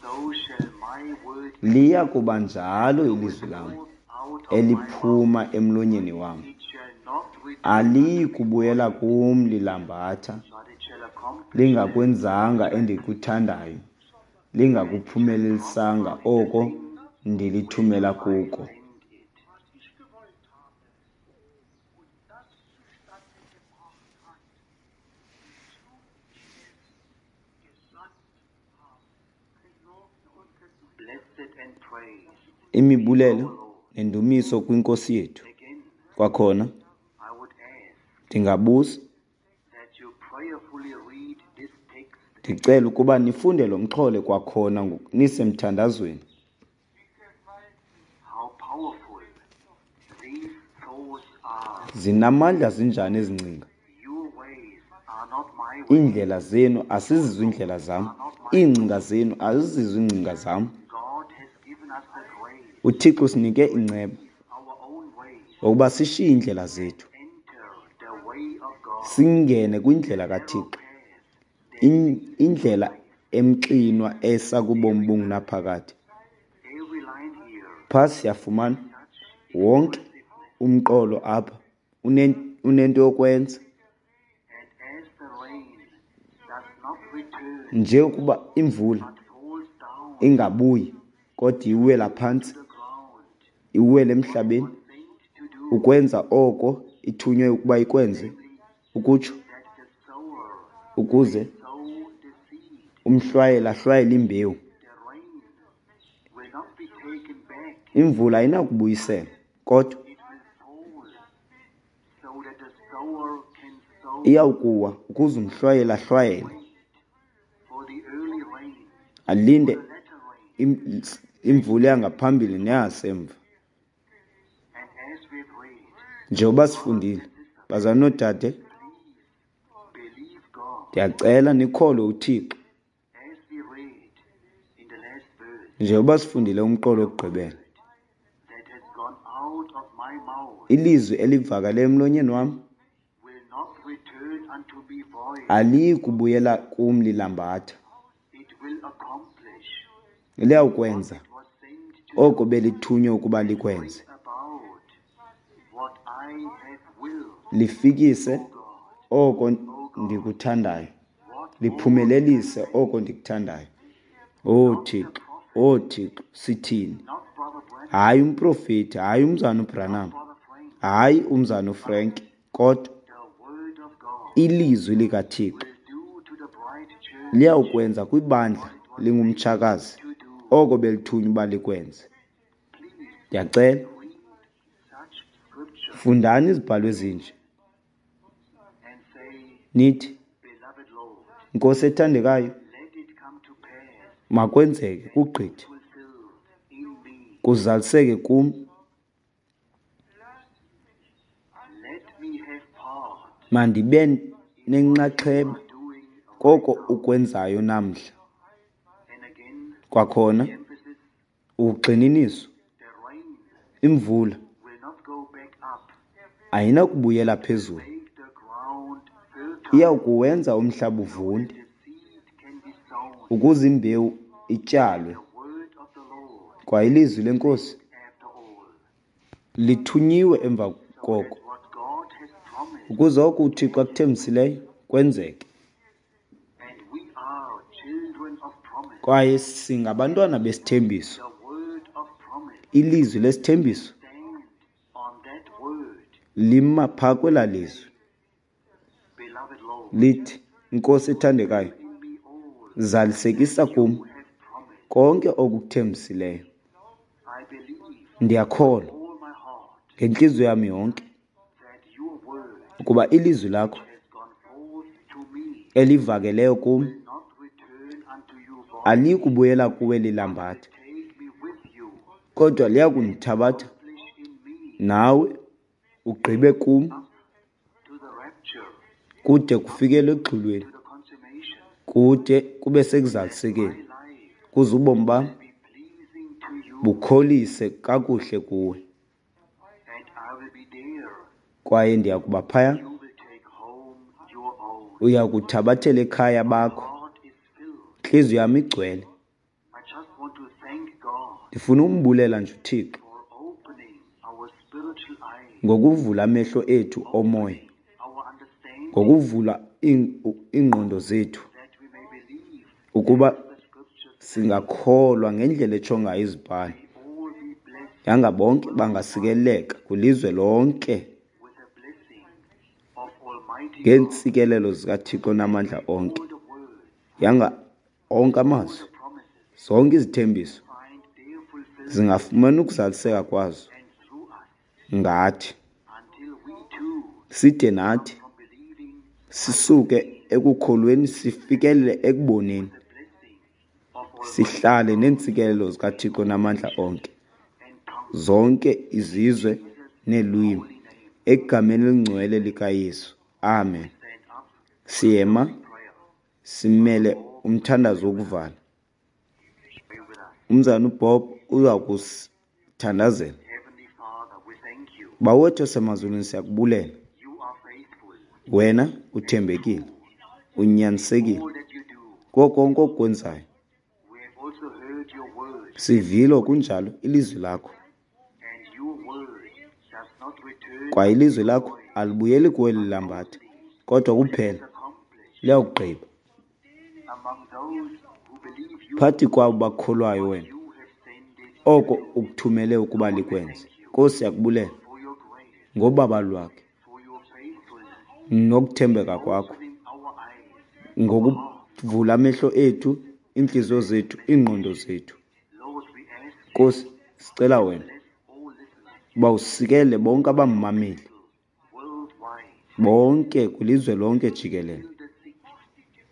So shall my word be Liya kuba that njalo goeth ilizwi lam forth out of my mouth. eliphuma emlonyeni wam. It shall not return Aliyi unto me kubuyela void, kum lilambatha, but it shall accomplish that lingakwenzanga which I endikuthandayo, please, and it shall lingakuphumelelilisanga prosper in the oko thing ndilithumela whereto I kuko. send it. Blessed and praised be Imibulelo our Lord. nendumiso kwiNkosi yethu. Again, Kwakhona I would ask ndingabuza, that you prayerfully read this text ndicela again. ukuba nifunde lo mxholo kwakhona nisemthandazweni. How powerful these thoughts are. Zinamandla zinjani ezi ngcinga? Your ways are not my ways. Iindlela zenu Your asizizo thoughts iindlela zam, are not my iingcinga thoughts. zenu azizizo iingcinga zam. God has given us the grace UThixo usinike to inceba leave our own ways ngokuba sishiye iindlela and zethu, enter the way of God, singene the kwindlela narrow kaThixo, path that leads to indlela life. emxinwa esa kubomi Every verse, bungunaphakade. every line here Phaa has siyafumana such wonke impressiveness. umqolo apha unento yokwenza. And as the rain does not return, Nje ukuba imvula but falls down ingabuyi kodwa iwela to phantsi, the ground, iwele what it emhlabeni, was sent to do, ukwenza oko ithunywe ukuba ikwenze, namely, ukutsho that the sower may ukuze sow the seed, umhlwayeli ahlwayele imbewu. the rain will not be taken back, Imvula ayinakubuyiselwa, kodwa it will fall so that the sower can sow iyawukuwa ukuze umhlwayeli ahlwayele, wait for the early rain, for alinde the latter rain. imvula yangaphambili neyasemva. And as we've read, Njengoba brothers sifundile, and sisters, bazalwane noodade, please believe God. ndiyacela nikholwe uThixo. As we read in the last verse, Njengoba sifundile umqolo the wokugqibela, word that has gone out of my mouth ilizwi elivakale emlonyeni wam will not return unto me void. aliyi kubuyela kum lilambatha, It will accomplish what liyawukwenza it was sent to oko do belithunywe ukuba and bring likwenze, about what I have willed, lifikise O God. oko O God, ndikuthandayo, what more can I liphumelelise say? oko ndikuthandayo. O Not the Thixo, prophet, o Thixo, sithini? not Brother Branham, Hayi umprofeti, hayi umzana not uBranham, Brother Frank, hayi umzana but uFrank, kodwa the word of God ilizwi likaThixo will do to the bride church liyawukwenza kwibandla what it was sent lingumtshakazi to do. oko belithunywa uba likwenze. Please Ndiyacela, read such scripture fundani izibhalo ezinje, and say, nithi, Beloved Lord, Nkosi ethandekayo, let it come to pass makwenzeke and be kugqithe, fulfilled in me. kuzaliseke kum. Let me have part Mandibe in what you nenxaxheba are doing right koko now. ukwenzayo namhla. And again, Kwakhona the emphasis, ugxininiso, the rain imvula will not go back up. ayinakubuyela It will phezulu, make the ground fertile iyawukuwenza umhlaba so that uvunde the seed can be sown. ukuze imbewu And ityalwe. the word of the Lord Kwa ilizwi leNkosi after all. Lithunyiwe emva so koko that what God has promised, ukuze oko uThixo akuthembisileyo kwenzeke. and we are children of promise, Kwaye singabantwana besithembiso. the word of promise, Ilizwi lesithembiso stand on that word, lima phaa kwelaa lizwi beloved Lord, lithi, Nkosi ethandekayo, in me all zalisekisa kum you have promised. konke okukuthembisileyo. I believe Ndiyakholwa all my heart ngentliziyo yam yonke that your word ukuba ilizwi lakho has gone forth to me, elivakeleyo kum will not return unto you void. alikubuyela kuwe lilambatha, Take me with you, kodwa liya kundithabatha accomplish in me nawe ugqibe kum up to the rapture, kude kufikele exhulweni, to the consummation. kude kube My sekuzalisekeni, life kuze ubomi bam be pleasing to you, bukholise kakuhle kuwe. and I will be there. Kwaye ndiya kuba phaya, You will take home your own. uya kuthabathela ekhaya bakho. Heart is filled. Intliziyo yam igcwele. I just want to thank God Ndifuna umbulela nje uThixo for opening our spiritual eyes, ngokuvula amehlo ethu omoya, our understanding, ngokuvula iingqondo zethu that we may believe ukuba the scriptures singakholwa ngendlela etsho ngayo iziBhalo. all be blessed Yanga bonke bangasikeleleka kwilizwe lonke with the blessing of Almighty God. ngeentsikelelo zikaThixo namandla onke. All the words, Yanga onke all amazwi, the promises zonke izithembiso find their fulfillment zingafumana ukuzaliseka kwazo and through us ngathi, until we too side nathi from believing sisuke ekukholweni sifikelele ekuboneni, the blessing of Almighty sihlale neentsikelelo zikaThixo namandla onke, and tongues. zonke izizwe neelwimi, Holy name. egameni elingcwele likaYesu. Amen. Stand up Siyema prayer. simele umthandazo wokuvala. Pray with us. Umzana uBob uza kusithandazela. Heavenly Father, we thank you. Bawethu osemazulwini, siyakubulela. You are faithful. Wena uthembekile, unyanisekile All that you do. kuko konke okwenzayo. We have also heard your word, Sivile kunjalo ilizwi lakho, and your word does not return kwaye ilizwi lakho alibuyeli kuwe lilambatha, kodwa kuphela accomplished liyakugqiba among those who believe you. phakathi kwabo bakholwayo wena You have sent it oko ukuthumele ukuba likwenze. Nkosi, siyakubulela for your grace, ngobaba lwakhe for your faithfulness, nokuthembeka kwakho, opening our eyes. ngokuvula amehlo ethu, iintliziyo zethu, iingqondo zethu. Lord, we ask Nkosi, sicela wena bless all listeners uba usikele bonke abamameli worldwide. bonke kwilizwe lonke jikelele, Heal the sick,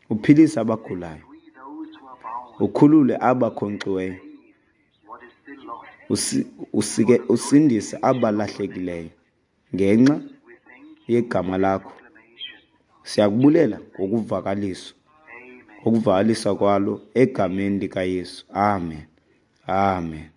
uphilise abagulayo, free those who are bound, ukhulule abakhonkxiweyo, save what is still lost. usike usindise abalahlekileyo ngenxa We thank you yegama lakho. proclamation. Siyakubulela ngokuvakaliswa, Amen. ngokuvakaliswa kwalo egameni likaYesu. Amen. Amen.